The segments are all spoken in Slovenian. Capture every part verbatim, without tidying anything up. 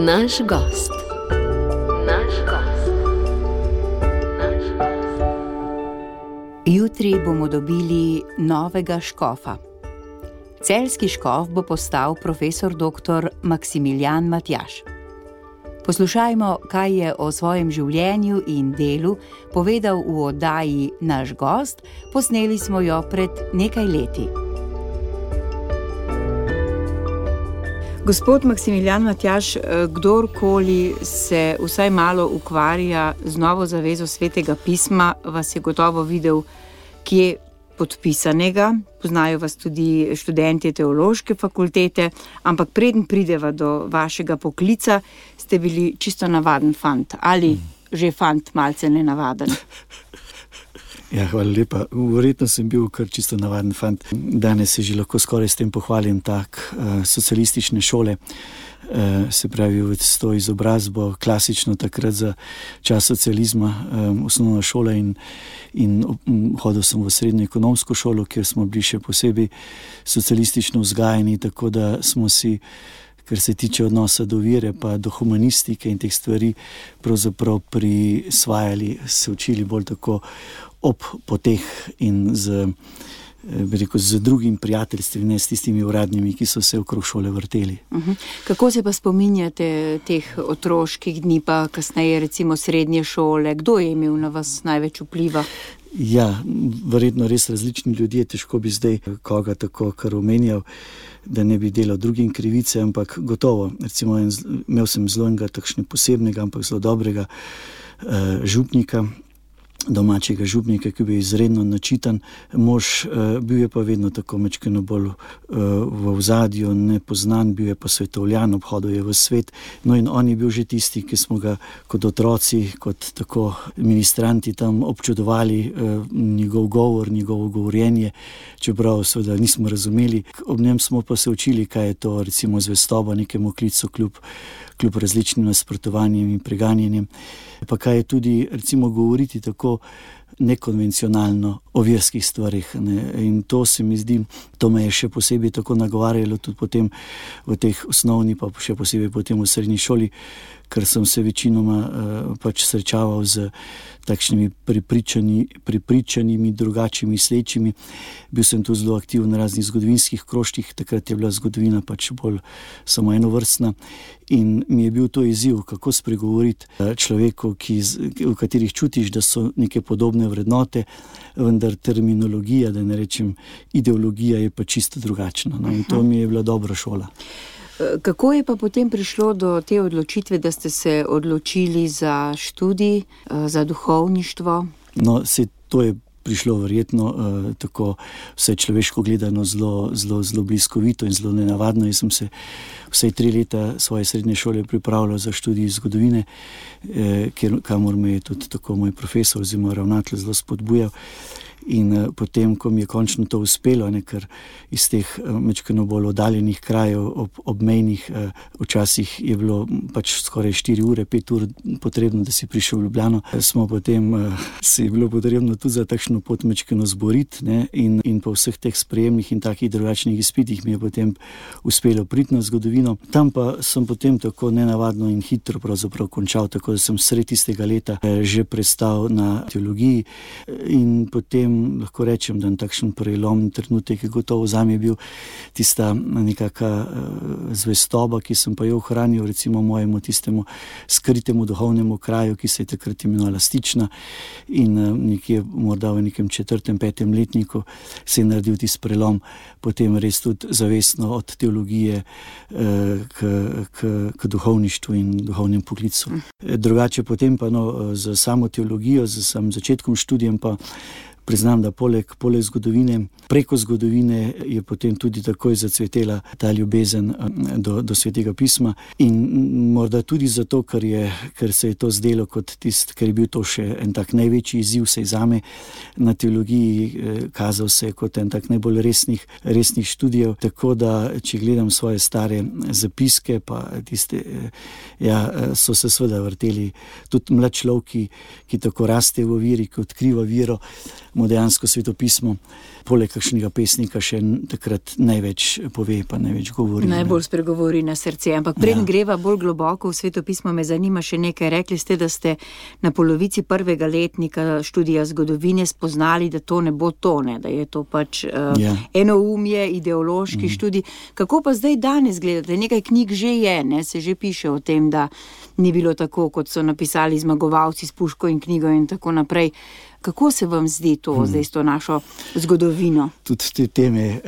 Naš gost. Naš gost. Naš gost. Jutri bomo dobili novega škofa. Celjski škof bo postal profesor doktor Maksimilijan Matjaž. Poslušajmo, kaj je o svojem življenju in delu povedal v oddaji Naš gost. Posneli smo jo pred nekaj leti. Gospod Maksimilijan Matjaž, kdorkoli se vsaj malo ukvarja z novo zavezo Svetega pisma, vas je gotovo videl kje podpisanega. Poznajo vas tudi študentje teološke fakultete, ampak preden prideva do vašega poklica, ste bili čisto navaden fant. Ali že fant malce nenavaden? Ja, hvala lepa. Verjetno sem bil kar čisto navaden fant. Danes se že lahko skoraj s tem pohvalim tak uh, socialistične šole, uh, se pravi s to izobrazbo, klasično takrat za čas socializma, um, osnovna šola in, in um, hodil sem v srednjo ekonomsko šolo, kjer smo bili še posebej socialistično vzgajani, tako da smo si, kar se tiče odnosa do vere pa do humanistike in teh stvari, pravzaprav prisvajali, se učili bolj tako ob poteh in z, bi rekel, z drugim prijateljstvom, ne s tistimi uradnimi, ki so se okrog šole vrteli. Uh-huh. Kako se pa spominjate teh otroških dni, pa kasneje recimo srednje šole? Kdo je imel na vas največ vpliva? Ja, verjetno res različni ljudje, težko bi zdaj koga tako kar omenjal, da ne bi delal drugim krivice, ampak gotovo, recimo imel sem zelo enega takšnega posebnega, ampak zelo dobrega uh, župnika, domačega župnika, ki je bil izredno načitan mož, bil je pa vedno tako mečkeno bolj v ozadju, nepoznan, bil je pa svetovljan, obhodil je v svet. No in on je bil že tisti, ki smo ga kot otroci, kot tako ministranti tam občudovali, njegov govor, njegovo govorjenje, čeprav seveda nismo razumeli. Ob njem smo pa se učili, kaj je to recimo zvestoba nekemu klicu kljub kljub različnim nasprotovanjem in preganjanjem, pa kaj je tudi recimo govoriti tako nekonvencionalno o verskih stvarih. Ne? In to se mi zdi, to me je še posebej tako nagovarjalo tudi potem v teh osnovni, pa še posebej potem v srednji šoli, ker sem se večinoma uh, pač srečaval z takšnimi pripričani, pripričanimi, drugačimi mislečimi. Bil sem tu zelo aktiven na raznih zgodovinskih krožkih, takrat je bila zgodovina pač bolj samo enovrstna in mi je bil to izziv, kako spregovoriti človeku, ki, v katerih čutiš, da so neke podobne vrednote, vendar terminologija, da ne rečem ideologija, je pa čisto drugačna. No? In to mi je bila dobra šola. Kako je pa potem prišlo do te odločitve, da ste se odločili za študij, za duhovništvo? No, se to je prišlo verjetno eh, tako vse človeško gledano zelo, zelo, zelo bliskovito in zelo nenavadno. Jaz sem se vsaj tri leta svoje srednje šole pripravljal za študij zgodovine, eh, kjer, kamor me je tudi tako moj profesor oziroma ravnatelj zelo spodbujal. In uh, potem, ko mi je končno to uspelo, ne, ker iz teh uh, mečkeno bolj oddaljenih krajev, ob, obmejnih, uh, včasih je bilo pač skoraj štiri ure, pet ur potrebno, da si prišel v Ljubljano, smo potem, uh, se je bilo potrebno tudi za takšno pot mečkeno zboriti, ne, in, in po vseh teh sprejemnih in takih drugačnih izpitih mi je potem uspelo priti na zgodovino. Tam pa sem potem tako nenavadno in hitro pravzaprav končal, tako da sem sredi tistega leta uh, že prestal na teologiji in potem lahko rečem, da je takšen prelomni trenutek, ki gotovo zame je bil tista nekaka uh, zvestoba, ki sem pa jo ohranil recimo mojemu tistemu skritemu duhovnemu kraju, ki se je takrat imenovala Stična in uh, nekje morda v nekem četrtem, petem letniku se je naredil tisti prelom, potem res tudi zavestno od teologije uh, k, k, k duhovništvu in duhovnem poklicu. Drugače potem pa no, z samo teologijo, z samim začetkom študijem pa priznam, da poleg, poleg zgodovine, preko zgodovine je potem tudi takoj zacvetela ta ljubezen do, do Svetega pisma in morda tudi zato, ker, je, ker se je to zdelo kot tist, ker je bil to še en tak največji izziv sej zame na teologiji, kazal se kot en tak najbolj resnih, resnih študijev, tako da, če gledam svoje stare zapiske, pa tiste, ja, so se seveda vrteli tudi mlad človek, ki, ki tako raste v veri, ki odkriva vero, mu dejansko svetopismo, poleg kakšnega pesnika, še takrat največ pove, pa največ govori. Najbolj spregovori na srce. Ampak preden ja. greva bolj globoko v svetopismo, me zanima še nekaj. Rekli ste, da ste na polovici prvega letnika študija zgodovine spoznali, da to ne bo to, ne? Da je to pač uh, ja. enoumje, ideološki mm. študij. Kako pa zdaj danes gledate? Nekaj knjig že je, ne? Se že piše o tem, da ni bilo tako, kot so napisali zmagovalci s puško in knjigo in tako naprej. Kako se vam zdi to, hmm. zdaj s to našo zgodovino? Tudi te teme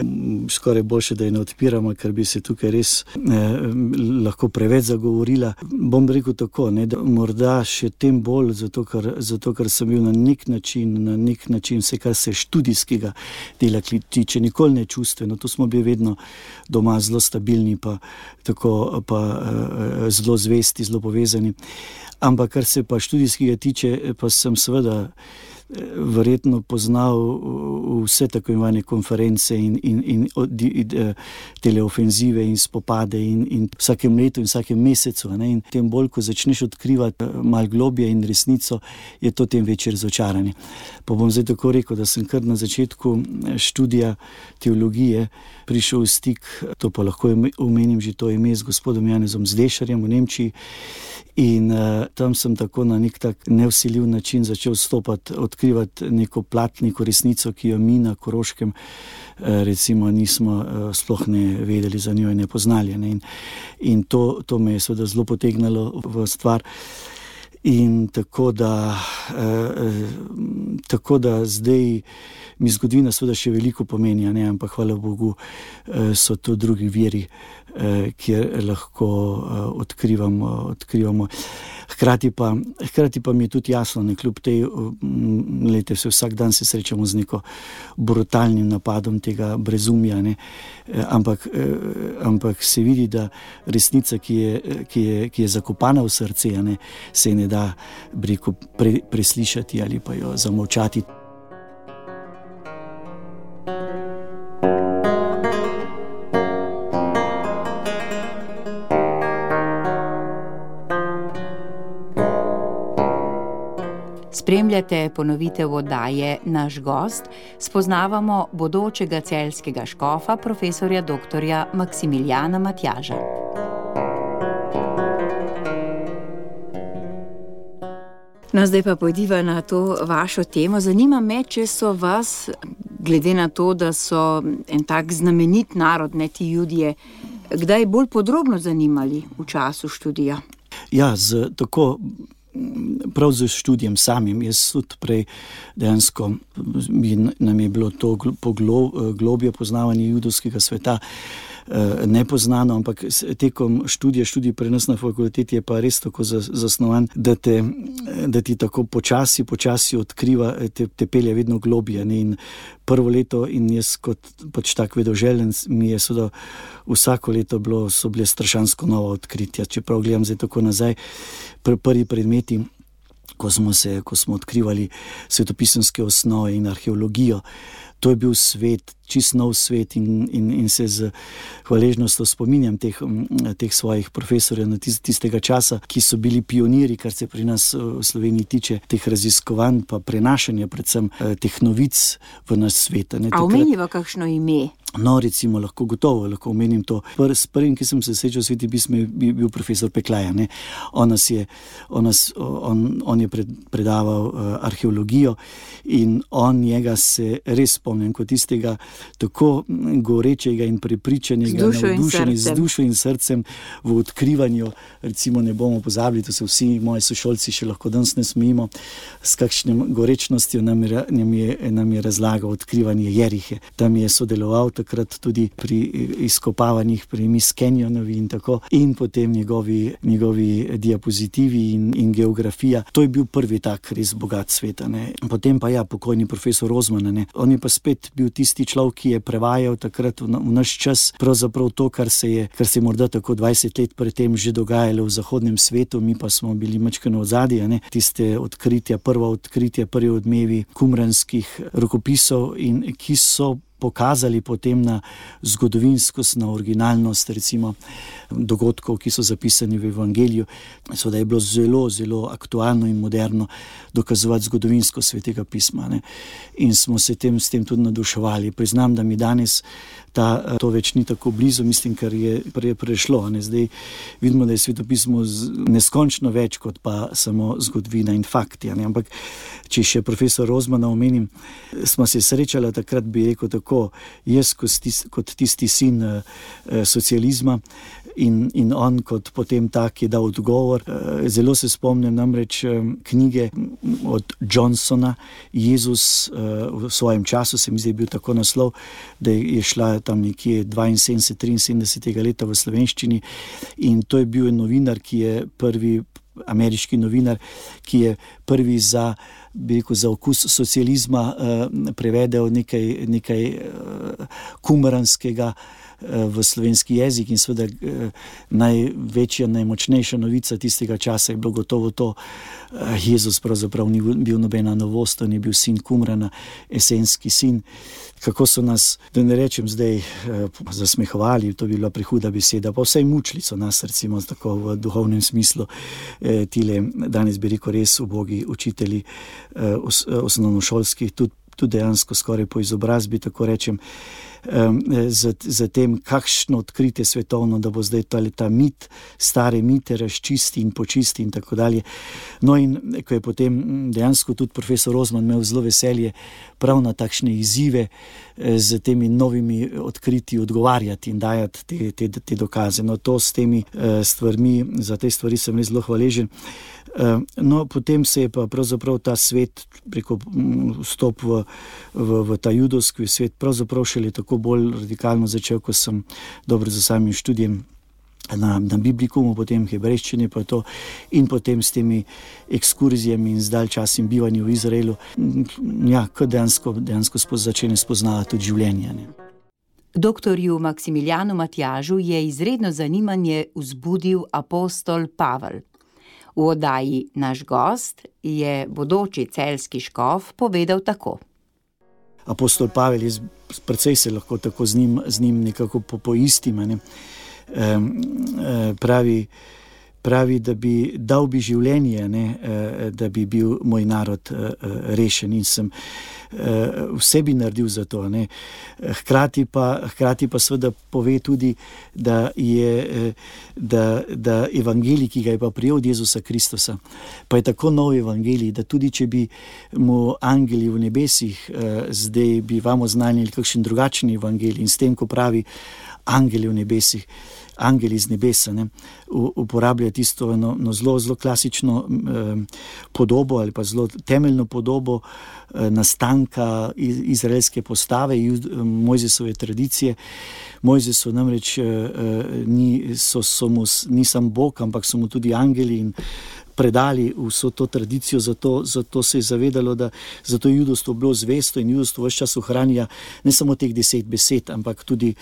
skoraj boljše, da je ne odpiramo, ker bi se tukaj res eh, lahko preveč zagovorila. Bom rekel tako, ne, da morda še tem bolj, zato ker, zato ker sem bil na nek način, na nek način vse, kar se študijskega dela tiče, nikoli ne čustveno. To smo bili vedno doma zelo stabilni, pa, tako, pa eh, zelo zvesti, zelo povezani. Ampak kar se pa študijskega tiče, pa sem seveda verjetno poznal vse tako imenovane konference in, in, in, in teleofenzive in spopade in, in vsakem letu in vsakem mesecu. Ne? In tem bolj, ko začneš odkrivati malo globje in resnico, je to tem večje razočaranje. Pa bom zdaj tako rekel, da sem kar na začetku študija teologije prišel v stik, to pa lahko omenim že to ime, z gospodom Janezom Zdešarjem v Nemčiji. In uh, tam sem tako na nek tak nevsiljiv način začel stopati, odkrivati neko plat, neko resnico, ki jo mi na Koroškem uh, recimo nismo uh, sploh ne vedeli za njo in ne poznali. Ne? In, in to, to me je seveda zelo potegnalo v stvar. In tako da, eh, tako da zdaj mi zgodovina seveda še veliko pomenja, ne? Ampak hvala Bogu eh, so to drugi viri, eh, kjer lahko eh, odkrivamo, odkrivamo. Hkrati pa, hkrati pa mi je tudi jasno, ne, kljub tej, lejte, se vsak dan se srečamo z neko brutalnim napadom tega brezumja, ne, ampak, ampak se vidi, da resnica, ki je, ki je, ki je zakopana v srce, ne, se ne da, bi rekel, pre, preslišati ali pa jo zamolčati. Spremljate ponovitev oddaje Naš gost, spoznavamo bodočega celjskega škofa, profesorja doktorja Maksimilijana Matjaža. No, zdaj pa pojdiva na to vašo temo. Zanima me, če so vas, glede na to, da so en tak znamenit narod, ne ti Judje, kdaj bolj podrobno zanimali v času študija? Ja, z tako prav z študijem samim. Jaz tudi prej dejansko nam je bilo to globlje poznavanje judovskega sveta nepoznano, ampak tekom študija, študij pri nas na fakulteti je pa res tako zasnovan, da, te, da ti tako počasi, počasi odkriva, te, te pelje vedno globje. Ne? In prvo leto in jaz kot pač tak vedoželjen mi je seveda vsako leto bilo, so bile strašansko nova odkritja. Čeprav gledam zdaj tako nazaj, pr- prvi predmeti, ko smo se, ko smo odkrivali svetopisemske osnove in arheologijo, to je bil svet, čist nov svet in, in, in se z hvaležnostjo spominjam teh, teh svojih profesorjev na tistega časa, ki so bili pioniri, kar se pri nas v Sloveniji tiče, teh raziskovanj pa prenašanja predvsem teh novic v naš svet. Ne, A omeniva kakšno ime? No, recimo, lahko gotovo, lahko omenim to. Pr, s prvim, ki sem se srečal v Sveti pismi, je bil profesor Peklaja. Ne? On, nas je, on, nas, on, on je pred, predaval uh, arheologijo in on njega se res spomnim kot tistega tako gorečega in prepričanega, navdušenega z dušo in srcem v odkrivanju. Recimo, ne bomo pozabili, to se vsi moji sošolci še lahko danes ne smejimo, s kakšnim gorečnostjo nam je, nam je, nam je razlagal odkrivanje Jerihe. Tam je sodeloval takrat tudi pri izkopavanjih, pri Miss Canyonovi in tako, in potem njegovi, njegovi diapozitivi in, in geografija. To je bil prvi tak res bogat sveta. Ne. Potem pa ja, pokojni profesor Rozman, ne. On je pa spet bil tisti človek, ki je prevajal takrat v, v naš čas pravzaprav to, kar se je, kar se je morda tako dvajset let predtem že dogajalo v zahodnem svetu, mi pa smo bili majčkeno odzadje, ne. Tiste odkritja, prva odkritja, prvi odmevi kumranskih rokopisov in ki so pokazali potem na zgodovinskost, na originalnost recimo dogodkov, ki so zapisani v Evangeliju. So, da je bilo zelo, zelo aktualno in moderno dokazovati zgodovinsko Svetega pisma, ne. In smo se tem, s tem tudi navduševali. Priznam, da mi danes ta, to več ni tako blizu, mislim, kar je pre, prešlo. Ne. Zdaj vidimo, da je svetopismo neskončno več kot pa samo zgodovina in fakti. Ne. Ampak, če še profesor Rozmana omenim, smo se srečali takrat, bi rekel tako, jaz kot tisti, kot tisti sin eh, socializma in, in on kot potem tak je dal odgovor. Eh, zelo se spomnim namreč eh, knjige od Johnsona, Jezus eh, v svojem času, se mi zdi bil tako naslov, da je šla tam nekje dvainsedemdeset triinsedemdeset leta v slovenščini, in to je bil novinar, ki je prvi, ameriški novinar, ki je prvi za, bi rekel, za okus socializma eh, prevedel nekaj, nekaj eh, kumaranskega eh, v slovenski jezik, in seveda eh, največja, najmočnejša novica tistega časa je bilo gotovo to, eh, Jezus pravzaprav ni bil nobena novost, on je bil sin Kumrana, esenski sin. Kako so nas, da ne rečem zdaj, eh, zasmehovali, to bi bila prehuda beseda, pa vsaj mučili so nas, recimo tako v duhovnem smislu, eh, tile, danes bi rekel, res ubogi učitelji eh, os, osnovnošolskih, tudi, tudi dejansko skoraj po izobrazbi, tako rečem, za, za tem, kakšno odkritje svetovno, da bo zdaj ta, ta mit, stare mite razčisti in počisti in tako dalje. No, in ko je potem dejansko tudi profesor Rozman imel zelo veselje prav na takšne izzive z temi novimi odkritji odgovarjati in dajati te, te, te dokaze. No, to s temi stvarmi, za te stvari sem res zelo hvaležen. No, potem se je pa pravzaprav ta svet preko vstop v, v, v ta judovski svet pravzaprav šele tako bolj radikalno začel, ko sem dobro za samim študijem na, na Biblikumu, potem hebrejščini pa to, in potem s temi ekskurzijami in zdalj časim bivanju v Izraelu, ja, ko dejansko, dejansko spoz, začne spoznavati tudi življenje. Ne. Doktorju Maksimilijanu Matjažu je izredno zanimanje vzbudil apostol Pavel. V oddaji Naš gost je bodoči celjski škof povedal tako. Apostol Pavel, jaz precej se lahko tako z njim, z njim nekako poistim, ne. E, e, pravi, pravi, da bi dal bi življenje, ne, e, da bi bil moj narod e, rešen, in sem e, vse bi naredil za to. Ne. Hkrati pa, hkrati pa seveda pove tudi, da je da, da evangelij, ki ga je pa prijel od Jezusa Kristusa, pa je tako nov evangelij, da tudi če bi mu angeli v nebesih eh, zdaj bi vam oznanili kakšen drugačen evangelij, in s tem, ko pravi angeli v nebesih, angeli iz nebesa, ne, uporablja tisto eno, no, zelo, zelo klasično eh, podobo ali pa zelo temeljno podobo eh, nastanka iz, izraelske postave, Mojzesove tradicije. Mojzes so namreč eh, ni, so, so mu, ni sam Bog, ampak so mu tudi angeli in predali vso to tradicijo, zato, zato se je zavedalo, da zato judovstvo bilo zvesto in judovstvo vse čas ohranja ne samo teh deset besed, ampak tudi,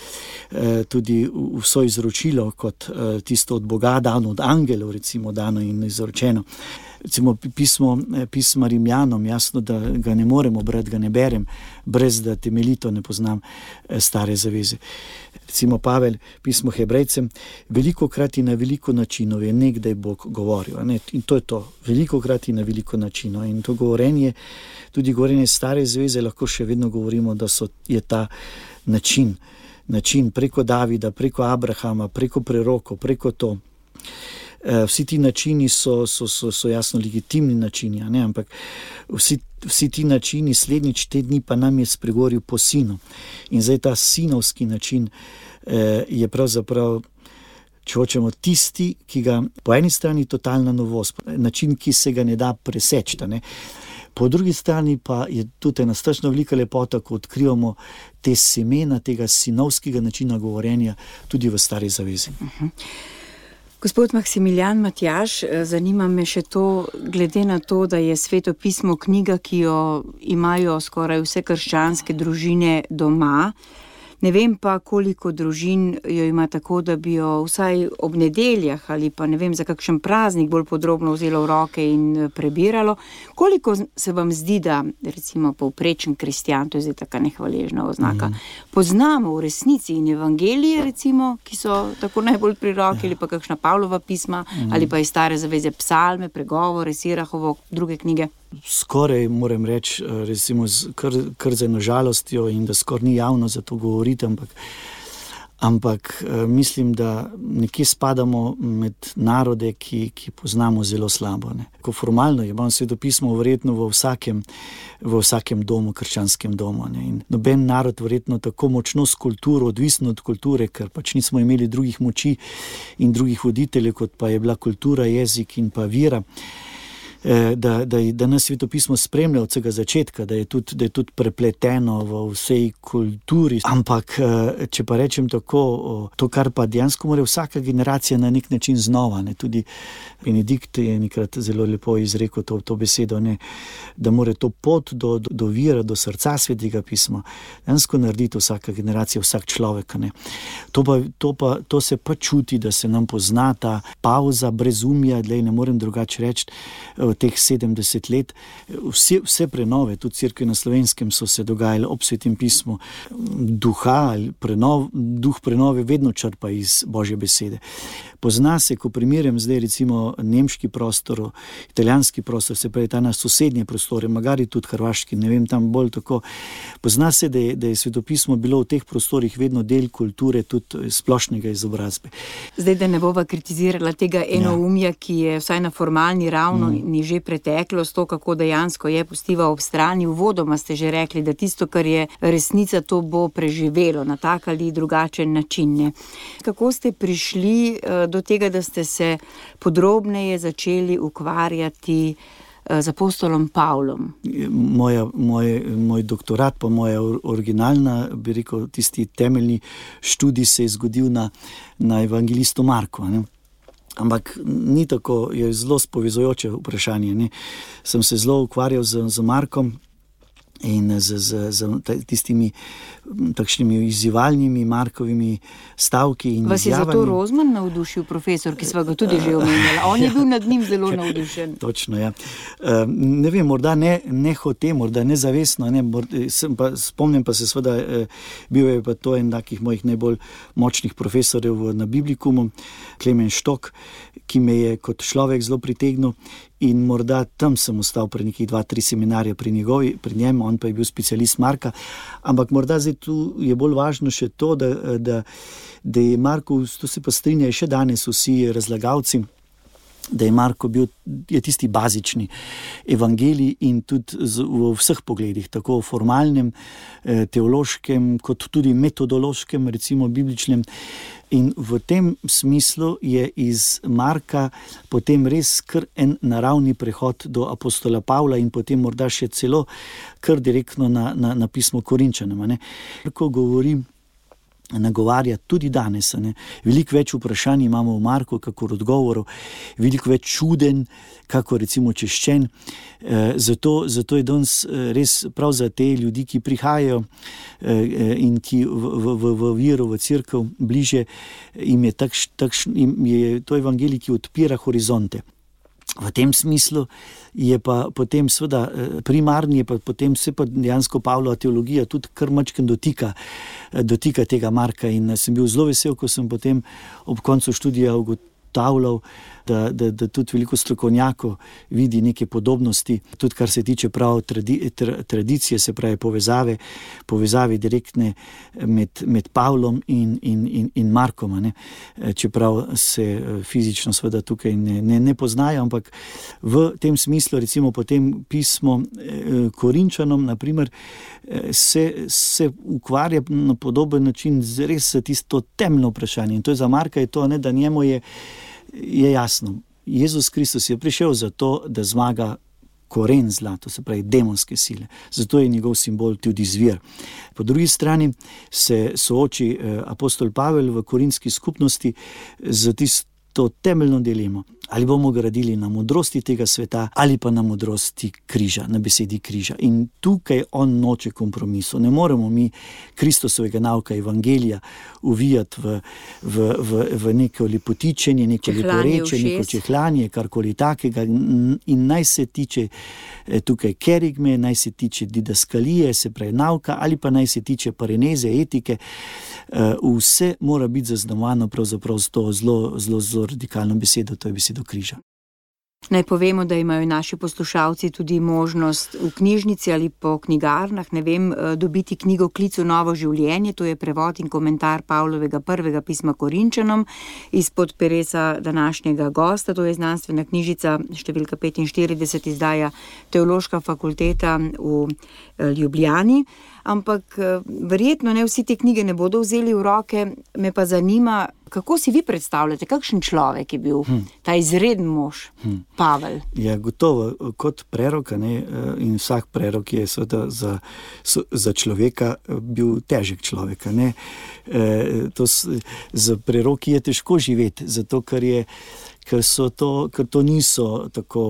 eh, tudi vso izročilo kot eh, tisto od Boga dano, od angelov recimo dano in izročeno. Recimo pismo, pisma Rimljanom, jasno, da ga ne moremo brati, ga ne berem, brez da temeljito ne poznam stare zaveze. Recimo Pavel, pismo Hebrejcem, velikokrat in na veliko načinov je nekdaj Bog govoril. Ne? In to je to, velikokrat in na veliko načinov. In to govorenje, tudi govorenje stare zaveze, lahko še vedno govorimo, da so, je ta način, način preko Davida, preko Abrahama, preko prerokov, preko to. Vsi ti načini so, so, so, so jasno legitimni načini, ne? Ampak vsi, vsi ti načini slednjič te dni pa nam je spregovoril po sinu. In zdaj ta sinovski način eh, je pravzaprav, če hočemo, tisti, ki ga po eni strani totalna novost, način, ki se ga ne da preseči. Ne? Po drugi strani pa je tudi ena strašno velika lepota, ko odkrivamo te semena tega sinovskega načina govorjenja tudi v stari zavezi. Uh-huh. Gospod Maksimilijan Matjaž, zanima me še to, glede na to, da je Sveto pismo knjiga, ki jo imajo skoraj vse krščanske družine doma, Ne vem pa, koliko družin jo ima tako, da bi jo vsaj ob nedeljah ali pa ne vem, za kakšen praznik bolj podrobno vzelo v roke in prebiralo. Koliko se vam zdi, da recimo povprečen kristjan, to je zdaj taka nehvaležna oznaka, mm. poznamo v resnici in evangelije recimo, ki so tako najbolj pri roki, ali pa kakšna Pavlova pisma, mm. ali pa iz Stare zaveze psalme, pregovore, Sirahovo, druge knjige? Skoraj moram reči, recimo kar, kar z eno žalostjo in da skoraj ni javno za to govoriti, ampak, ampak mislim, da nekje spadamo med narode, ki, ki poznamo zelo slabo. Ne. Ko formalno je, imam svetopismo verjetno v vsakem, v vsakem domu, krščanskem domu. Ne. In noben narod verjetno tako močno s kulturo, odvisno od kulture, ker pač nismo imeli drugih moči in drugih voditeljev, kot pa je bila kultura, jezik in pa vera. Da, da, da nas svetopismo spremlja od vsega začetka, da je, tudi, da je tudi prepleteno v vsej kulturi. Ampak, če pa rečem tako, to, kar pa dejansko mora vsaka generacija na nek način znova, ne, tudi Benedikt je nekrat zelo lepo izrekel to, to besedo, ne, da mora to pot do, do, do vira, do srca svetega pisma dejansko narediti vsaka generacija, vsak človek. Ne. To, pa, to, pa, to se pa čuti, da se nam pozna ta pauza, brezumja, dlej, ne morem drugače reči, teh sedemdeset let, vse, vse prenove, tudi cerkve na Slovenskem so se dogajale ob svetem pismu, duha, prenov, duh prenove vedno črpa iz Božje besede. Pozna se, ko primerjam zdaj recimo nemški prostor, italijanski prostor, se pravi ta na sosednje prostore, magari tudi hrvaški, ne vem, tam bolj tako. Pozna se, da je, da je svetopismo bilo v teh prostorih vedno del kulture, tudi splošnega izobrazbe. Zdaj, da ne bova kritizirala tega enoumja, ja. Ki je vsaj na formalni ravno mm. ni že preteklost, to, kako dejansko je, pustiva ob strani. Uvodoma ste že rekli, da tisto, kar je resnica, to bo preživelo na tak ali drugačen način. Ne? Kako ste prišli do tega, da ste se podrobneje začeli ukvarjati z apostolom Pavlom? Moja, moj, moj doktorat, pa moja originalna, bi rekel, tisti temeljni študij se je zgodil na, na evangelistu Marku. Ne? Ampak ni tako, je zelo spovezujoče vprašanje. Ne? Sem se zelo ukvarjal z, z Markom in z, z, z tistimi takšnimi izzivalnimi Markovimi stavki in Vas izjavami. Je zato Rozman navdušil, profesor, ki sva ga tudi že omenjala? On je bil nad njim zelo navdušen. Točno, ja. Ne vem, morda ne, ne hote, morda nezavestno, ne, morda, sem pa, spomnim pa se seveda, bil je pa to en takih mojih najbolj močnih profesorjev na Biblikumu, Klemen Štok, ki me je kot človek zelo pritegnil in morda tam sem ostal pri nekih dva, tri seminarje pri njegovi, pri njem, on pa je bil specialist Marka, ampak morda zdaj tu je bolj važno še to, da, da, da je Marko, to se pa strinjajo še danes vsi razlagalci, da je Marko bil, je tisti bazični evangelij in tudi v vseh pogledih, tako v formalnem, teološkem, kot tudi metodološkem, recimo bibličnem. In v tem smislu je iz Marka potem res kar en naravni prehod do apostola Pavla in potem morda še celo kar direktno na, na, na pismo Korinčanom. Ko govorim, nagovarja tudi danes. Ne. Veliko več vprašanj imamo v Marku, kakor odgovorov, veliko več čuden, kako recimo češčen. E, zato, zato je danes res prav za te ljudi, ki prihajajo e, in ki v, v, v, v vero, v cerkev bliže, jim je, takš, takš, jim je to evangelij, ki odpira horizonte. V tem smislu je pa potem seveda primarni, je pa potem se pa dejansko Pavlova teologija tudi kar mačken dotika, dotika tega Marka in sem bil zelo vesel, ko sem potem ob koncu študija ugotavljal, da, da, da tudi veliko strokovnjakov vidi neke podobnosti, tudi kar se tiče prav tradi, tra, tradicije, se pravi povezave, povezave direktne med, med Pavlom in, in, in, in Markom, ne? Čeprav se fizično seveda tukaj ne, ne, ne poznajo, ampak v tem smislu recimo potem pismo Korinčanom, naprimer, se, se ukvarja na podoben način z res tisto temno vprašanje. In to je za Marka, je to, ne, da njemu je je jasno, Jezus Kristus je prišel zato, da zmaga koren zla, to se pravi demonske sile. Zato je njegov simbol tudi zvir. Po drugi strani se sooči apostol Pavel v korinski skupnosti z tisto temeljno dilemo. Ali bomo gradili na modrosti tega sveta ali pa na modrosti križa, na besedi križa. In tukaj on noče kompromisov. Ne moremo mi Kristusovega nauka evangelija uvijati v, v, v, v neko lepotičenje, neko leporeče, neko čehlanje, karkoli takega. In naj se tiče tukaj kerigme, naj se tiče didaskalije, se pravi nauka, ali pa naj se tiče pareneze, etike. Vse mora biti zaznamovano pravzaprav z to zelo, zelo, zelo radikalno besedo, to je besedo križa. Naj povemo, da imajo naši poslušalci tudi možnost v knjižnici ali po knjigarnah, ne vem, dobiti knjigo Klic v novo življenje, to je prevod in komentar Pavlovega prvega pisma Korinčanom izpod peresa današnjega gosta, to je znanstvena knjižica številka petinštirideset, izdaja Teološka fakulteta v Ljubljani. Ampak verjetno ne vsi te knjige ne bodo vzeli v roke, me pa zanima, kako si vi predstavljate, kakšen človek je bil hmm. ta izreden mož, hmm. Pavel? Ja, gotovo, kot prerok, ne, in vsak prerok je seveda za, za človeka bil težek človek. Ne. E, to, za preroki je težko živeti, zato ker je Ker, so to, ker to niso tako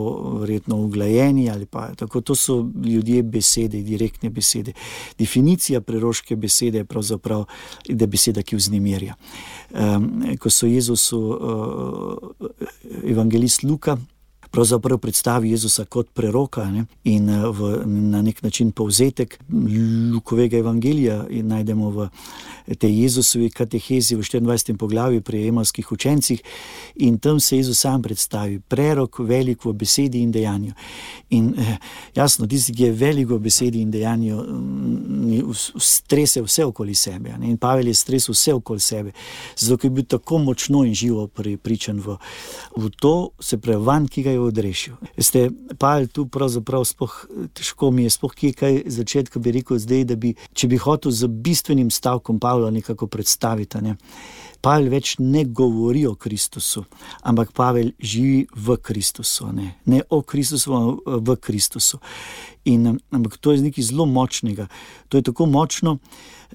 verjetno uglajeni ali pa tako, to so ljudje besede, direktne besede. Definicija preroške besede je pravzaprav, da je beseda, ki vznemirja. Um, ko so Jezusu uh, evangelist Luka pravzaprav predstavi Jezusa kot preroka, ne, in v, na nek način povzetek Lukovega evangelija in najdemo v tej Jezusovi katehezi v štiriindvajsetem poglavju pri emavskih učencih, in tam se Jezus sam predstavi, prerok velik v besedi in dejanju. In jasno, tisti, ki je velik v besedi in dejanju, strese vse okoli sebe, ne? In Pavel je stresel vse okoli sebe, zato ker je bil tako močno in živo pripričan v, v to, se pravi van, ki ga je odrešil. Veste, Pavel tu pravzaprav spoh, težko mi je spoh kje kaj začetka bi rekel zdaj, da bi, če bi hotel z bistvenim stavkom Pavla nekako predstaviti, ne? Pavel več ne govori o Kristusu, ampak Pavel živi v Kristusu, ne, ne o Kristusu, ampak v Kristusu. In ampak to je nekaj zelo močnega. To je tako močno,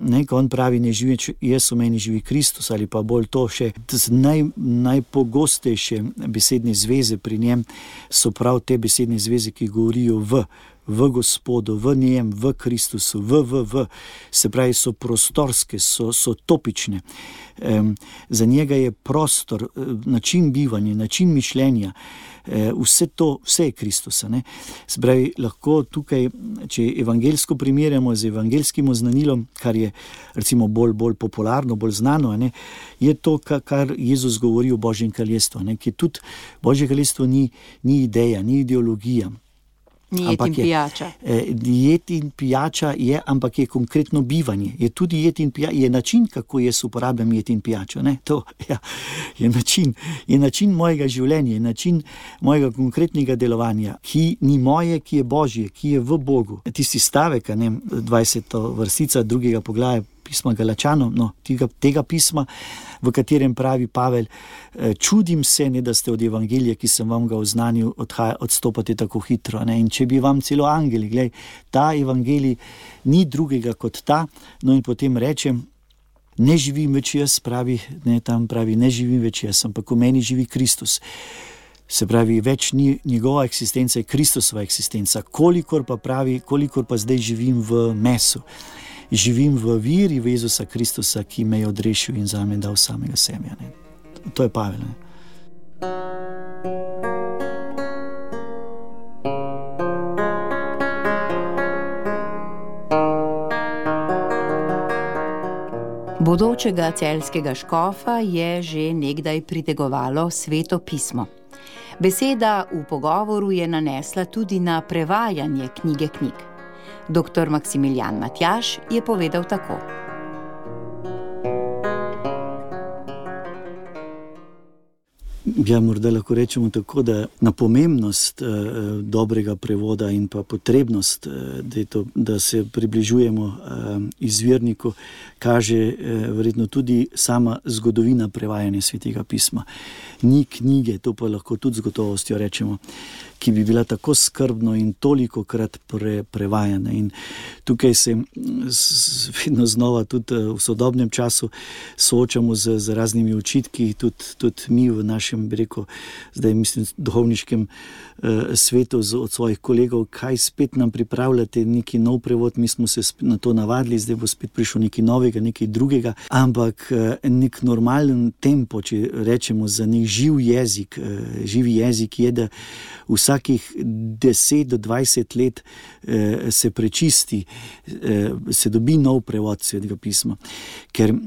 ne, ko on pravi, ne živi jaz, v meni živi Kristus, ali pa bolj to še, naj, najpogostejše besedne zveze pri njem so prav te besedne zveze, ki govorijo v v Gospodu, v njem, v Kristusu, v, v, v, se pravi, so prostorske, so, so topične. Um, za njega je prostor, način bivanja, način mišljenja, um, vse to, vse je Kristusa, ne. Se pravi, lahko tukaj, če evangelsko primerjamo z evangelskim oznanilom, kar je recimo bolj, bolj popularno, bolj znano, ne, je to, kar Jezus govori o Božjem kraljestvu, ne, ki tudi Božje kraljestvo ni, ni ideja, ni ideologija. Ni jed in pijača. Je, jed in pijača je, ampak je konkretno bivanje. Je tudi jed in pijača, je način, kako jaz uporabljam jed in pijačo. Ne? To ja, je način, je način mojega življenja, je način mojega konkretnega delovanja, ki ni moje, ki je Božje, ki je v Bogu. Tisti stavek, ne, dvajseta vrstica drugega poglavja pisma Galačanom, no, tega, tega pisma, v katerem pravi Pavel, čudim se, ne, da ste od evangelija, ki sem vam ga oznanil, odhaja, odstopate tako hitro. Ne? In če bi vam celo angeli, glej, ta evangelij ni drugega kot ta, no in potem rečem, ne živim več jaz, pravi, ne, tam pravi, ne živim več jaz, ampak v meni živi Kristus. Se pravi, več ni njegova eksistenca, je Kristusova eksistenca, kolikor pa pravi, kolikor pa zdaj živim v mesu. Živim v viri v Jezusa Kristusa, ki me je odrešil in zame dal samega sebe. Ne. To je Pavel. Ne. Bodočega celjskega škofa je že nekdaj pritegovalo Sveto pismo. Beseda v pogovoru je nanesla tudi na prevajanje knjige knjig. Doktor Maksimilijan Matjaž je povedal tako. Ja, morda lahko rečemo tako, da na pomembnost eh, dobrega prevoda in pa potrebnost, eh, da, to, da se približujemo eh, izvirniku, kaže eh, verjetno tudi sama zgodovina prevajanja Svetega pisma. Ni knjige, to pa lahko tudi z gotovostjo rečemo, ki bi bila tako skrbno in toliko krat pre, prevajana. In tukaj se vedno znova tudi v sodobnem času soočamo z, z raznimi očitki, tudi, tudi mi v našem, bi rekel, zdaj mislim, duhovniškem uh, svetu z, od svojih kolegov, kaj spet nam pripravljate neki nov prevod, mi smo se na to navadili, zdaj bo spet prišel nekaj novega, nekaj drugega, ampak uh, nek normalen tempo, če rečemo za nek živ jezik, uh, živi jezik je, da vsakih deset do dvajset let uh, se prečisti, uh, se dobi nov prevod Svetega pisma, ker uh,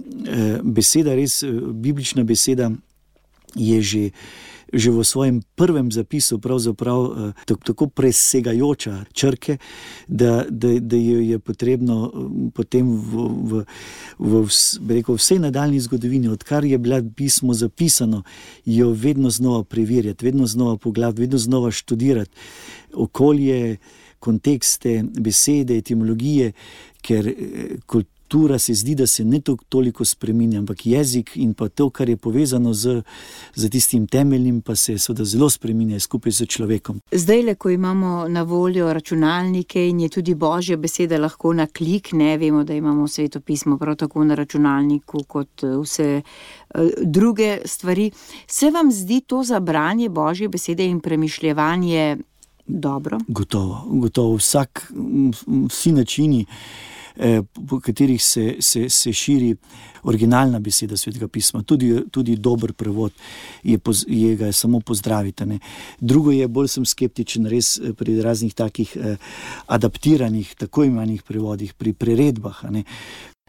beseda, res biblična beseda je že že v svojem prvem zapisu pravzaprav tako presegajoča črke, da, da, da jo je potrebno potem v, v, v, v rekel, vsej nadaljni zgodovini, odkar je bilo pismo zapisano, jo vedno znova preverjati, vedno znova pogledati, vedno znova študirati okolje, kontekste, besede, etimologije, ker kultura Kultura se zdi, da se ne toliko spreminja, ampak jezik in pa to, kar je povezano z, z tistim temeljnim, pa se seveda zelo spreminja skupaj z človekom. Zdaj, ko imamo na voljo računalnike in je tudi Božja beseda lahko na klik, ne vemo, da imamo Sveto pismo prav tako na računalniku kot vse druge stvari. Se vam zdi to za branje Božje besede in premišljevanje dobro? Gotovo, gotovo. Vsak, vsi načini, po katerih se, se, se širi originalna beseda Svetega pisma, tudi, tudi dober prevod, je, je ga samo pozdraviti. Ne. Drugo je, bolj sem skeptičen res pri raznih takih eh, adaptiranih, tako imenih prevodih, pri priredbah. Ne.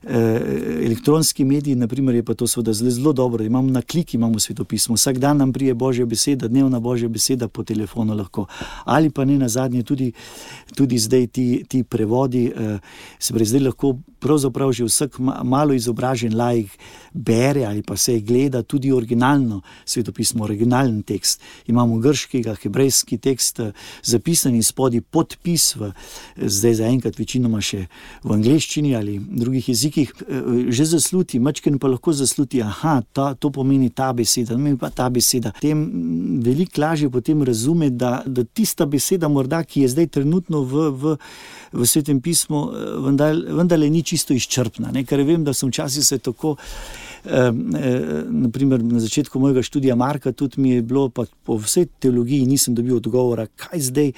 Elektronski mediji, naprimer, je pa to seveda zelo, zelo dobro. Imamo na klik, imamo Sveto pismo. Vsak dan nam prije Božja beseda, dnevna Božja beseda po telefonu lahko. Ali pa ne nazadnje tudi, tudi zdaj ti, ti prevodi, se pravi, zdaj lahko pravzaprav že vsak malo izobražen laik bere ali pa se gleda tudi originalno Sveto pismo, originalen tekst. Imamo grškega, hebrejski tekst zapisan in spodaj podpis, v, zdaj zaenkrat večinoma še v angleščini ali drugih jezikih, že zasluti, mačken pa lahko zasluti, aha, ta, to pomeni ta beseda, pomeni pa ta beseda. Tem veliko lažje potem razume, da, da tista beseda morda, ki je zdaj trenutno v, v, v Svetem pismu, vendar, vendar ni čisto izčrpna, ne? Ker vem, da sem včasih se tako Eh, eh, naprimer na začetku mojega študija Marka tudi mi je bilo, pa po vsej teologiji nisem dobil odgovora, kaj zdaj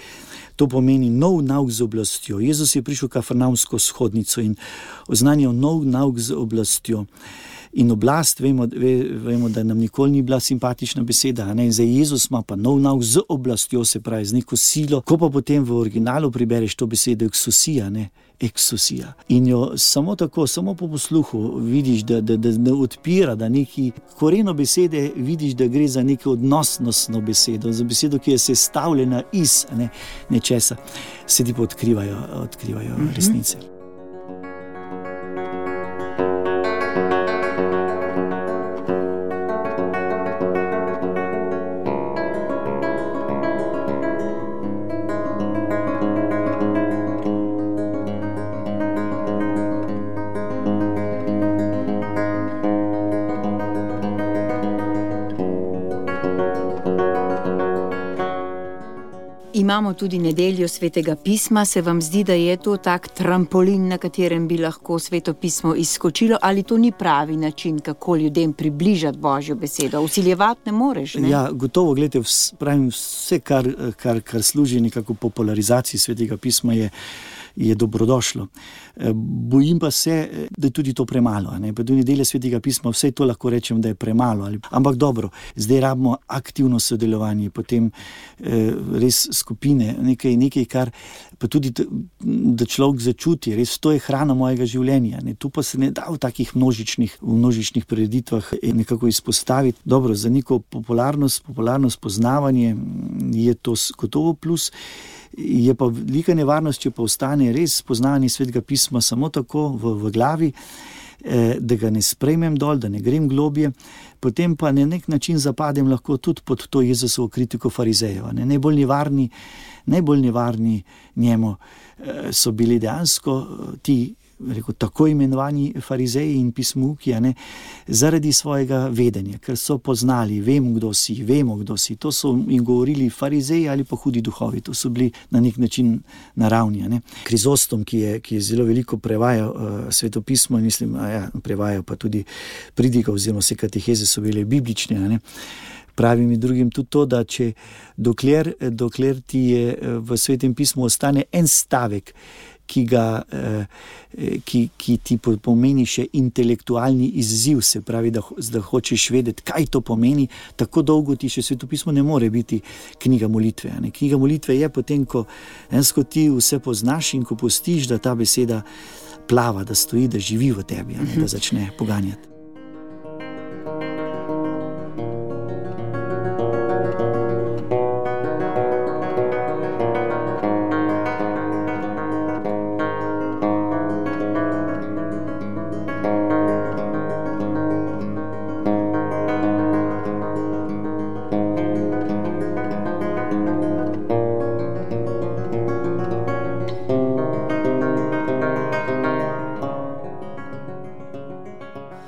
to pomeni nov nauk z oblastjo. Jezus je prišel v Kafarnaumsko shodnico in oznanjal nov nauk z oblastjo. In oblast, vemo, ve, vemo, da nam nikoli ni bila simpatična beseda, ne? Zdaj Jezus ima pa nov nauk z oblastjo, se pravi, z neko silo. Ko pa potem v originalu pribereš to besedo eksosija, ne? Eksosija. In jo samo tako, samo po posluhu vidiš, da, da, da, da odpira, da neki koreno besede vidiš, da gre za neko odnosnostno besedo, za besedo, ki je sestavljena iz ne, nečesa, se ti pa odkrivajo, odkrivajo mm-hmm. resnice. Imamo tudi nedeljo Svetega pisma. Se vam zdi, da je to tak trampolin, na katerem bi lahko Sveto pismo izskočilo, ali to ni pravi način, kako ljudem približati Božjo besedo? Vsiljevati ne moreš, ne? Ja, gotovo, gledajte, vs, pravim, vse, kar, kar, kar služi nekako popularizaciji Svetega pisma, je je dobrodošlo. Bojim pa se, da je tudi to premalo. Ne? Pa do nedelje Svetega pisma vse to lahko rečem, da je premalo. Ali... Ampak dobro, zdaj rabimo aktivno sodelovanje, potem eh, res skupine, nekaj, nekaj, kar pa tudi, da človek začuti, res to je hrana mojega življenja. Ne? Tu pa se ne da v takih množičnih, v množičnih preditvah nekako izpostaviti. Dobro, za neko popularnost, popularnost poznavanje je to gotovo plus. Je pa velika nevarnost, če pa ostane res poznavanje Svetega pisma samo tako v, v glavi, eh, da ga ne sprejmem dol, da ne grem globje, potem pa na nek način zapadem lahko tudi pod to Jezusovo kritiko farizejeva. Ne? Najbolj nevarni, najbolj nevarni njemu eh, so bili dejansko ti rekel, tako imenovani farizeji in pismouki, a ne, zaradi svojega vedenja, ker so poznali, vemo, kdo si, vemo, kdo si. To so jim govorili farizeji ali pa hudi duhovi. To so bili na nek način naravni. A ne. Krizostom, ki je, ki je zelo veliko prevajal uh, svetopismo, mislim, a ja, prevajal pa tudi pridiga oziroma vse kateheze so bile biblične, a ne. Pravi mi drugim tudi to, da če dokler, dokler ti je v Svetem pismu ostane en stavek, ki, ga, ki, ki ti pomeni še intelektualni izziv, se pravi, da, da hočeš vedeti, kaj to pomeni, tako dolgo ti še Svetopismo ne more biti knjiga molitve. Ne? Knjiga molitve je potem, ko ensko ti vse poznaš in ko pustiš, da ta beseda plava, da stoji, da živi v tebi, ne? Da začne poganjati.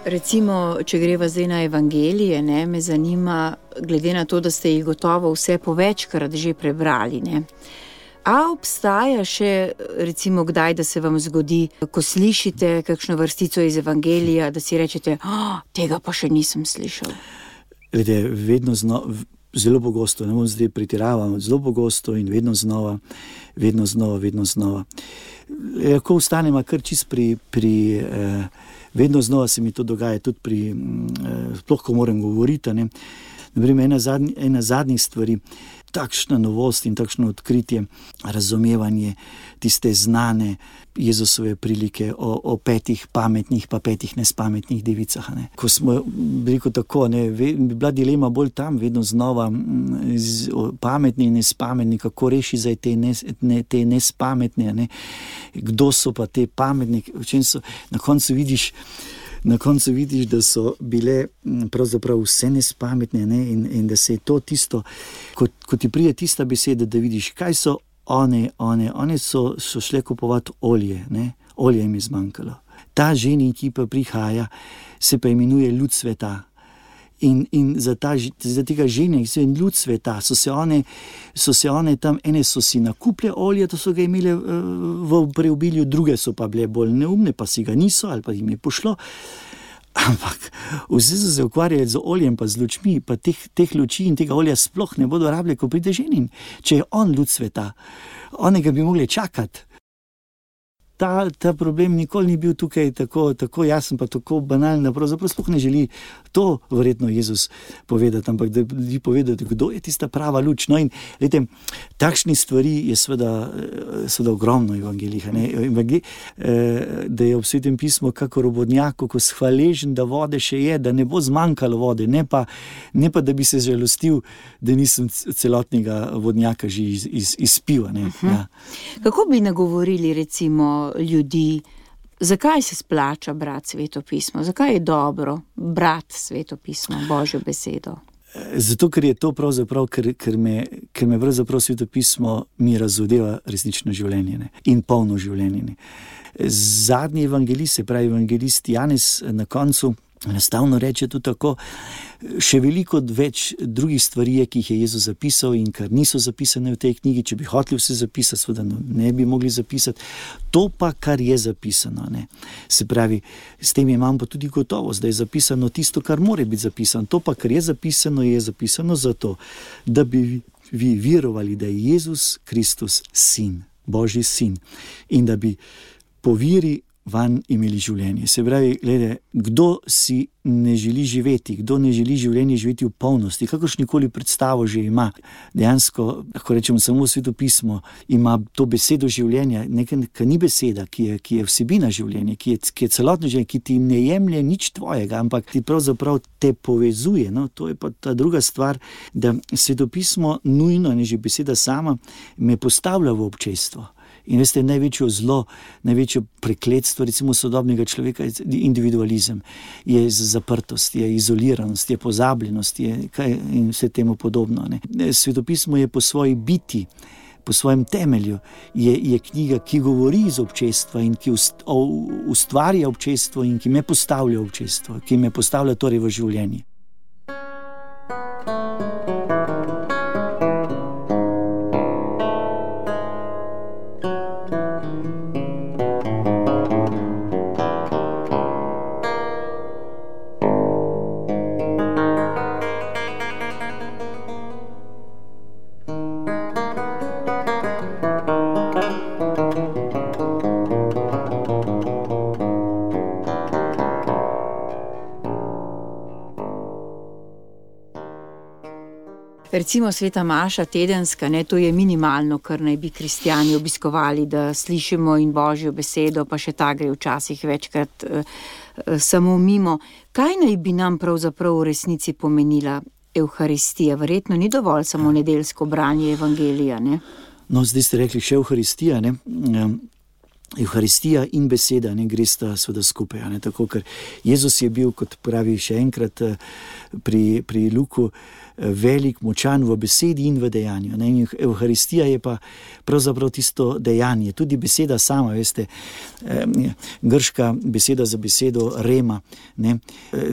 Recimo, če greva zdaj na evangelije, ne, me zanima, glede na to, da ste jih gotovo vse povečkrat že prebrali, ne. A obstaja še, recimo, kdaj, da se vam zgodi, ko slišite kakšno vrstico iz evangelija, da si rečete, oh, tega pa še nisem slišal? Glede, vedno znova, zelo pogosto, ne bom zdaj pretiraval, zelo pogosto in vedno znova, vedno znova, vedno znova. Lahko ostanemo kar čist pri, pri eh, vedno znova se mi to dogaja, tudi pri, eh, sploh ko moram govoriti, ne. Naprimer, ena, zadnj, ena zadnjih stvari, takšna novost in takšno odkritje, razumevanje tiste znane Jezusove prilike o, o petih pametnih pa petih nespametnih devicah. Ne. Ko smo rekel tako, ne, bi bila dilema bolj tam, vedno znova z, o, pametni in nespametni, kako reši zdaj te, nes, ne, te nespametne, ne. Kdo so pa te pametni, v čem so, na koncu vidiš, Na koncu vidiš, da so bile pravzaprav vse nespametne, ne? in, in da se je to tisto, ko, ko ti pride tista beseda, da vidiš, kaj so one, one, one so, so šle kupovati olje, ne? Olje jim je zmanjkalo. Ta ženi, ki pa prihaja, se pa imenuje ljud sveta. In, in za, ta, za tega ženja, ki so in ljud sveta, so se, one, so se one tam, ene so si nakuple olje, to so ga imele v preobilju, druge so pa bile bolj neumne, pa si ga niso, ali pa jim je pošlo. Ampak vse so se ukvarjali z oljem, pa z lučmi, pa teh, teh luči in tega olja sploh ne bodo rabili, ko pride ženin. Če je on ljud sveta, onega bi mogli čakati. Ta, ta problem nikoli ni bil tukaj tako, tako jasen, pa tako banalen, pravzaprav sploh ne želi to verjetno Jezus povedati, ampak da bi povedati, kdo je tista prava luč. No in, lejte, takšni stvari je seveda, seveda ogromno v evangeljih, ne? Evangel, da je v Svetem pismu kakor robodnjak, ko hvaležen, da vode še je, da ne bo zmanjkalo vode, ne pa, ne pa da bi se žalostil, da nisem celotnega vodnjaka že iz, iz, izpil. Ne? Uh-huh. Ja. Kako bi nagovorili recimo ljudi, zakaj se splača brati Svetopismo, zakaj je dobro brati Svetopismo, Božjo besedo? Zato, ker je to pravzaprav, ker, ker, me, ker me pravzaprav Svetopismo mi razodeva resnično življenje, ne? In polno življenje. Ne? Zadnji evangelist, se pravi evangelist Janez, na koncu enostavno reče tudi tako, še veliko več drugih stvari je, ki jih je Jezus zapisal in kar niso zapisane v tej knjigi, če bi hoteli vse zapisati, seveda ne bi mogli zapisati. To pa, kar je zapisano, ne. Se pravi, s tem imam pa tudi gotovost, da je zapisano tisto, kar more biti zapisano. To pa, kar je zapisano, je zapisano zato, da bi vi verovali, da je Jezus Kristus sin, Božji sin, in da bi po veri van imeli življenje. Se pravi, glede, kdo si ne želi živeti, kdo ne želi življenje živeti v polnosti, kakršnikoli predstavo že ima, dejansko, lahko rečemo, samo Svetopismo ima to besedo življenja, nekaj, ki ni beseda, ki je, ki je vsebina življenja, ki je, ki je celotno življenje, ki ti ne jemlje nič tvojega, ampak ti pravzaprav te povezuje. No? To je pa ta druga stvar, da Svetopismo nujno, ne že beseda sama, me postavlja v občestvo. In veste, največjo zlo, največjo prekletstvo recimo sodobnega človeka je individualizem, je zaprtost, je izoliranost, je pozabljenost, je kaj in vse temu podobno. Ne. Svetopismo je po svoji biti po svojem temelju je, je knjiga, ki govori iz občestva in ki ust, o, ustvarja občestvo in ki me postavlja v občestvo, ki me postavlja torej v življenje. Recimo sveta maša tedenska, ne, to je minimalno, kar naj bi kristjani obiskovali, da slišimo in Božjo besedo, pa še ta gre včasih večkrat eh, samo mimo. Kaj naj bi nam pravzaprav v resnici pomenila Evharistija? Verjetno ni dovolj samo nedeljsko branje evangelija, ne? No, zdaj ste rekli še Evharistija, ne? Evharistija in beseda ne gresta seveda skupaj, ne? Tako, ker Jezus je bil, kot pravi še enkrat pri, pri Luku, velik, močan v besedi in v dejanju. Ne? In Evharistija je pa pravzaprav tisto dejanje. Tudi beseda sama, veste, grška beseda za besedo rema, ne,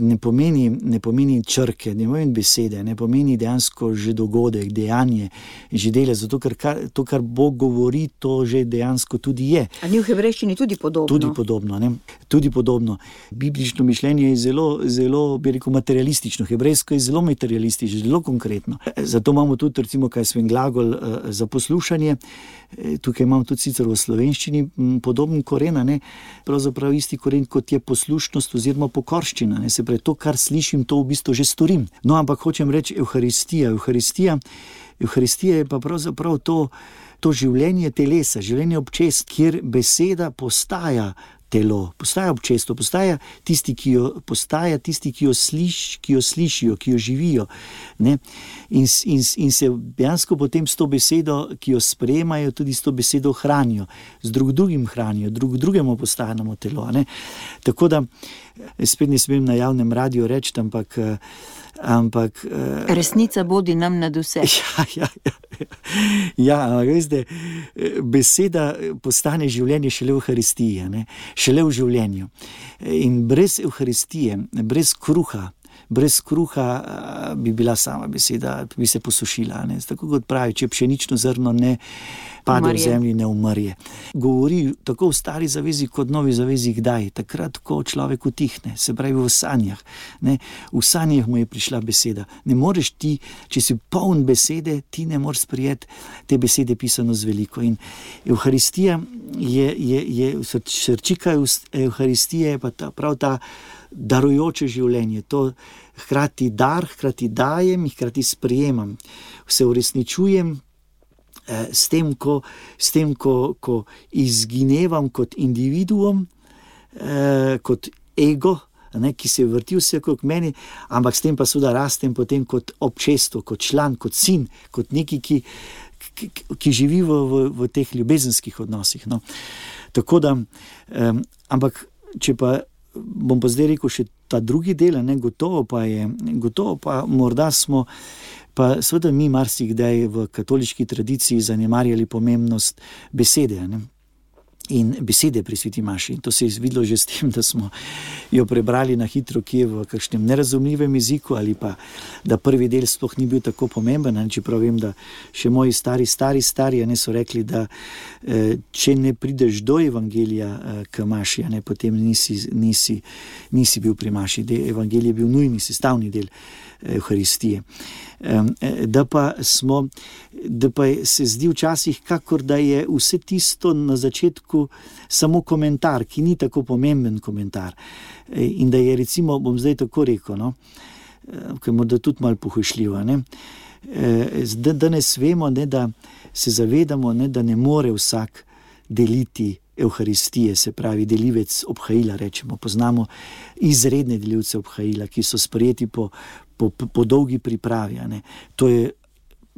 ne, pomeni, ne pomeni črke, ne pomeni besede, ne pomeni dejansko že dogodek, dejanje, že dele, zato ker kar, to, kar Bog govori, to že dejansko tudi je. A ni v hebrejščini tudi podobno? Tudi podobno, ne? Tudi podobno. Biblično mišljenje je zelo, zelo, bi rekel, materialistično. Hebrejsko je zelo materialistično, zelo konkretno. Zato imamo tudi, recimo, kaj svoj glagol uh, za poslušanje. Tukaj imamo tudi sicer v slovenščini podoben koren, ne? Pravzaprav isti koren, kot je poslušnost oziroma pokorščina. Ne? Se pravi, to, kar slišim, to v bistvu že storim. No, ampak hočem reči Evharistija. Evharistija, Evharistija je pa pravzaprav to, to življenje telesa, življenje občest, kjer beseda postaja telo, postaja občestvo, postaja tisti, ki jo postaja, tisti, ki jo, sliš, ki jo slišijo, ki jo živijo. Ne? In, in, in se dejansko potem s to besedo, ki jo sprejemajo, tudi s to besedo hranijo, z drug drugim hranijo, drug drugemu postajamo telo. Ne? Tako da, spet ne smem na javnem radiju reči, ampak ampak resnica bodi nam nad vse. Ja, ja, ja. Ja, ampak veste, beseda postane življenje šele v Evharistiji, ne? Šele v življenju. In brez Evharistije, brez kruha, brez kruha bi bila sama beseda, bi se posušila. Ne? Tako kot pravi, če pšenično zrno ne pade umarje. V zemlji, ne umrje. Govori tako v stari zavezi kot novi zavezi kdaj? Takrat, ko človek utihne, se pravi v sanjah. Ne? V sanjah mu je prišla beseda. Ne moreš ti, če si poln besede, ti ne moreš sprijeti te besede pisano z veliko. In Evharistija je, je, je srčika Evharistije je pa ta, prav ta darujoče življenje. To hkrati dar, hkrati dajem, hkrati sprejemam. Se uresničujem s tem, ko, s tem, ko, ko izginevam kot individuum, eh, kot ego, ne, ki se vrti vse okrog meni, ampak s tem pa seveda rastem potem kot občestvo, kot član, kot sin, kot neki, ki, ki, ki živi v, v, v teh ljubezenskih odnosih. No. Tako da, eh, ampak če pa bom pa zdaj rekel še ta drugi del, ne, gotovo pa je, gotovo pa morda smo pa seveda mi marsikdaj v katoliški tradiciji zanemarjali pomembnost besede, ne? In besede pri sveti maši. In to se je videlo že s tem, da smo jo prebrali na hitro kje v kakšnem nerazumljivem jeziku ali pa, da prvi del sploh ni bil tako pomemben, čeprav vem, da še moji stari, stari, stari, ne, so rekli, da eh, če ne prideš do evangelija eh, k maši, ne, potem nisi, nisi, nisi bil pri maši. Evangelij je bil nujni sestavni del Evharistije. Da pa smo, da pa se zdi včasih, kakor da je vse tisto na začetku samo komentar, ki ni tako pomemben komentar. In da je, recimo, bom zdaj tako rekel, no, ki je morda tudi malo pohujšljivo, ne, da danes vemo, ne, da se zavedamo, ne, da ne more vsak deliti Evharistije, se pravi delivec obhajila, rečemo. Poznamo izredne delivce obhajila, ki so sprejeti po Po, po dolgi pripravi. Ne. To je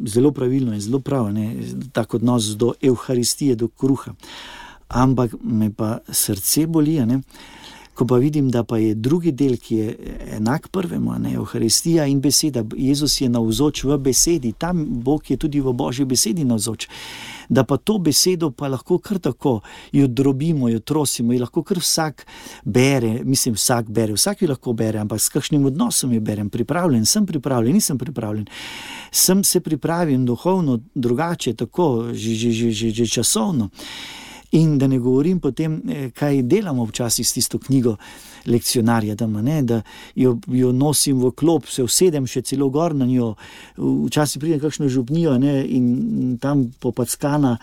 zelo pravilno in zelo prav, ne, tak odnos do Evharistije, do kruha. Ampak me pa srce boli, ne, Ko pa vidim, da pa je drugi del, ki je enak prvemu, ne, Evharistija in beseda, Jezus je navzoč v besedi, tam Bog je tudi v Božji besedi navzoč, da pa to besedo pa lahko kar tako jo drobimo, jo trosimo, jo lahko kar vsak bere, mislim vsak bere, vsak jo lahko bere, ampak s kakšnim odnosom jo berem, pripravljen, sem pripravljen, nisem pripravljen, sem se pripravim duhovno drugače, tako, že, že, že, že, že časovno. In da ne govorim potem, kaj delamo včasih s tisto knjigo lekcionarja, da, ne, da jo, jo nosim v klop, se usedem še celo gor na njo, včasih pridem kakšno župnijo, ne, in tam popackana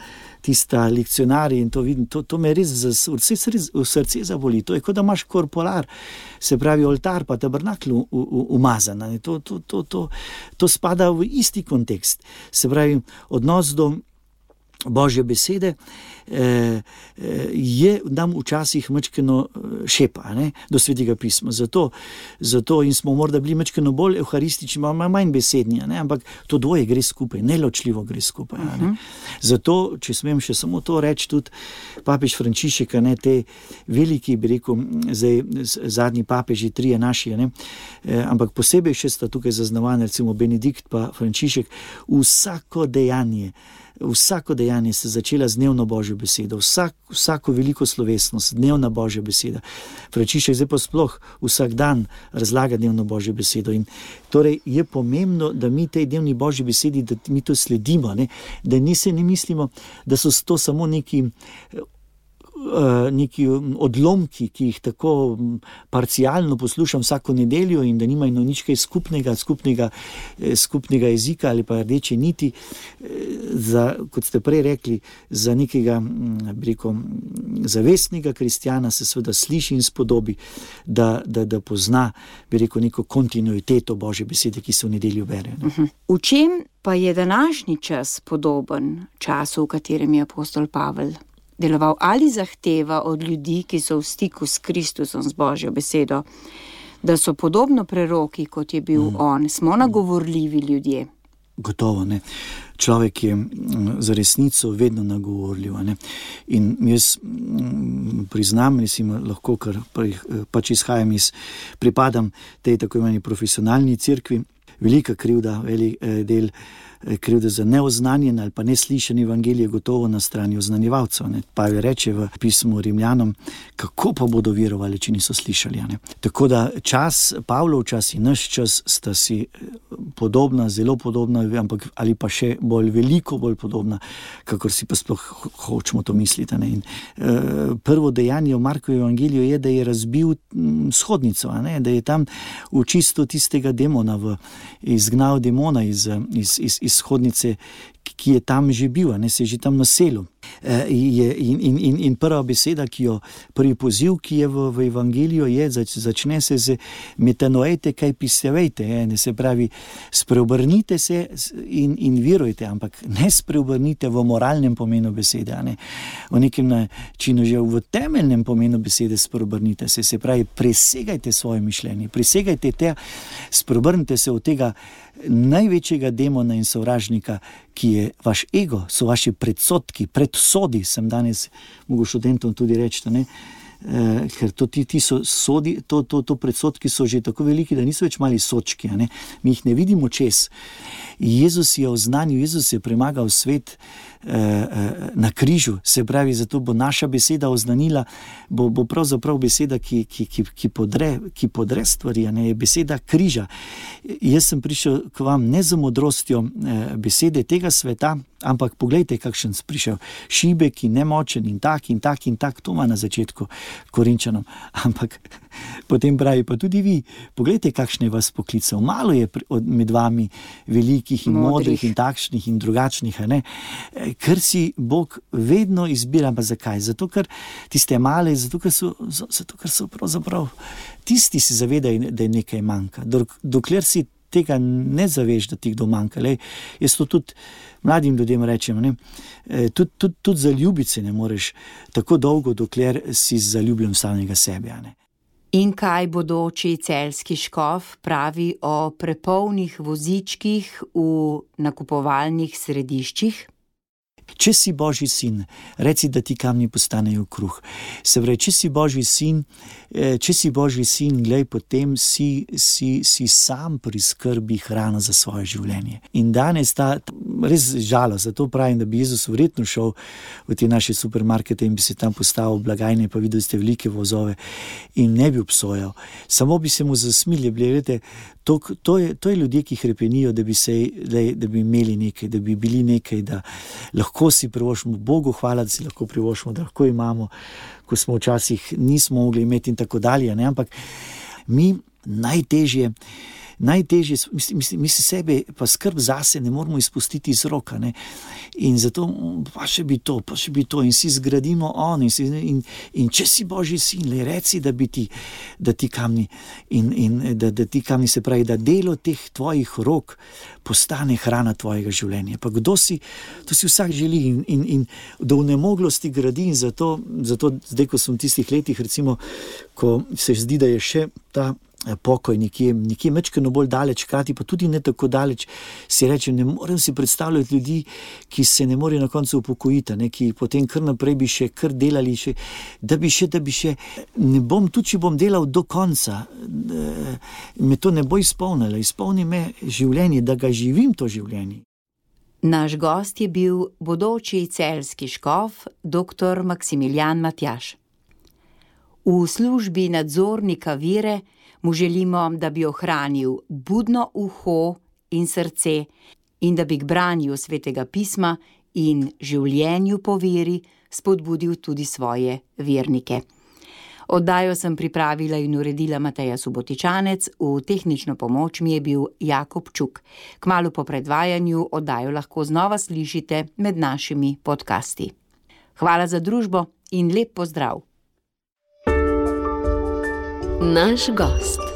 tista lekcionarja in to vidim, to, to me res v srce, v srce zaboli. To je, kot da imaš korporar, se pravi oltar pa tabernakel umazan. To, to, to, to, to spada v isti kontekst. Se pravi, odnos do Božje besede eh, je nam včasih mečkeno šepa, ne, do Svetega pisma. Zato, zato in smo morda bili mečkeno bolj evharistični, malo manj besedni, ne, ampak to dvoje gre skupaj, neločljivo gre skupaj. Uh-huh. Ne. Zato, če smem še samo to reči, tudi papež Frančišek, ne, te veliki, bi rekel, zdaj zadnji papeži, trije naši, ne, eh, ampak posebej še sta tukaj zaznavani, recimo Benedikt pa Frančišek, vsako dejanje, Vsako dejanje se začela z dnevno Božjo besedo, Vsak, vsako veliko slovesnost, dnevna Božja beseda. Frančišek zdaj pa sploh vsak dan razlaga dnevno Božjo besedo. In torej je pomembno, da mi tej dnevni Božji besedi, da mi to sledimo, ne? Da ni se ne mislimo, da so to samo neki neki odlomki, ki jih tako parcialno poslušam vsako nedeljo in da nimajo nič kaj skupnega, skupnega, skupnega jezika ali pa rdeče niti, za, kot ste prej rekli, za nekega, bi rekel, zavestnega kristjana se seveda sliši in spodobi, da, da, da pozna, bi rekel, neko kontinuiteto Božje besede, ki se v nedeljo bere. Uh-huh. V čem pa je današnji čas podoben času, v katerem je apostol Pavel deloval, ali zahteva od ljudi, ki so v stiku s Kristusom, z Božjo besedo, da so podobno preroki, kot je bil mm. on? Smo nagovorljivi ljudje? Gotovo, ne. Človek je za resnico vedno nagovorljiv, ne. In jaz priznam, mislim, lahko, ker pač izhajam iz, pripadam tej tako imeni profesionalni cerkvi, velika krivda, velik del krivda za neoznanjen ali pa neslišen evangelij je gotovo na strani oznanjevalcev. Pavel reče v pismu Rimljanom, kako pa bodo verovali, če niso slišali. Ne? Tako da čas, Pavlov čas in naš čas sta si podobna, zelo podobna, ampak ali pa še bolj veliko bolj podobna, kakor si pa sploh hočemo to misliti. Ne? In, uh, prvo dejanje v Markovem evangeliju je, da je razbil shodnico, ne? Da je tam očistil tistega demona, v, izgnal demona iz, iz, iz, iz shodnice, ki je tam že bil, ne, se je že tam naselil. E, in, in, in prva beseda, ki jo, prvi poziv, ki je v, v evangeliju, je, zač, začne se z metanoete, kaj pisevejte, ne, se pravi, spreobrnite se in, in verujte, ampak ne spreobrnite v moralnem pomenu besede, ne, v nekem načinu, že v temeljnem pomenu besede spreobrnite se, se pravi, presegajte svoje mišljenje, presegajte te, spreobrnite se od tega največjega demona in sovražnika, ki je vaš ego, so vaši predsodki, predsodi, sem danes mogel študentom tudi reči, ne? E, ker to, ti, ti so sodi, to, to, to predsodki so že tako veliki, da niso več mali sočki, ne? Mi jih ne vidimo čez. Jezus je oznanil, Jezus je premagal svet eh, eh, na križu, se pravi, zato bo naša beseda oznanila, bo, bo pravzaprav beseda, ki, ki, ki, ki, podre, ki podre stvari, ne, je beseda križa. Jaz sem prišel k vam ne z modrostjo eh, besede tega sveta, ampak poglejte, kakšen sem prišel, šibek in nemočen in tak in tak in tak, to ima na začetku Korinčanom, ampak potem pravi, pa tudi vi, poglejte, kakšne vas poklical, malo je med vami velikih in modrih, modrih in takšnih in drugačnih, ne? Ker si Bog vedno izbira, pa zakaj? Zato, ker tiste male, zato, ker so, zato, ker so pravzaprav tisti si zavedajo, da je nekaj manjka. Dokler si tega ne zaveš, da ti kdo manjka. Lej, jaz to tudi mladim ljudem rečem, ne? Tudi, tudi, tudi zaljubiti se ne moreš tako dolgo, dokler si zaljubljen v samega sebe. Ne? In kaj bodoči celjski škof pravi o prepolnih vozičkih v nakupovalnih središčih? Če si Božji sin, reci, da ti kamni postanejo kruh. Se pravi, če si Božji sin, če si Božji sin, glej, potem si, si, si sam priskrbi hrano za svoje življenje. In danes ta res žalost, zato pravim, da bi Jezus verjetno šel v te naše supermarkete in bi se tam postavil blagajne, pa videli ste velike vozove in ne bi obsojal. Samo bi se mu zasmilili, gledajte, to, to, je, to je ljudje, ki hrepenijo, da bi, se, da, da bi imeli nekaj, da bi bili nekaj, da lahko si privoščimo. Bogu hvala, da si lahko privoščimo, da lahko imamo, ko smo včasih nismo mogli imeti in tako dalje. Ne? Ampak mi najtežje, najtežje, mislim, mi se sebe pa skrb zase ne moramo izpustiti iz roka. Ne? In zato pa še bi to, pa še bi to in si zgradimo on in, si, in, in če si Božji sin, le reci, da bi ti, da ti kamni in, in da, da ti kamni, se pravi, da delo teh tvojih rok postane hrana tvojega življenja. Pa kdo si, to si vsak želi in, in, in do vnemoglosti gradi in zato, zato zdaj, ko sem v tistih letih, recimo, ko se zdi, da je še ta pokoj nekje, nekje mečkeno bolj daleč, krati pa tudi ne tako daleč, si rečem, ne morem si predstavljati ljudi, ki se ne morejo na koncu upokojiti, ne, ki potem kar naprej bi še kar delali, še, da bi še, da bi še, ne bom, tudi če bom delal do konca, me to ne bo izpolnilo, izpolni me življenje, da ga živim to življenje. Naš gost je bil bodoči celjski škof, doktor Maksimilijan Matjaž. V službi nadzornika vere mu želimo, da bi ohranil budno uho in srce in da bi k branju svetega pisma in življenju po veri spodbudil tudi svoje vernike. Oddajo sem pripravila in uredila Mateja Subotičanec, v tehnično pomoč mi je bil Jakob Čuk. Kmalu po predvajanju oddajo lahko znova slišite med našimi podcasti. Hvala za družbo in lep pozdrav! Naš gost.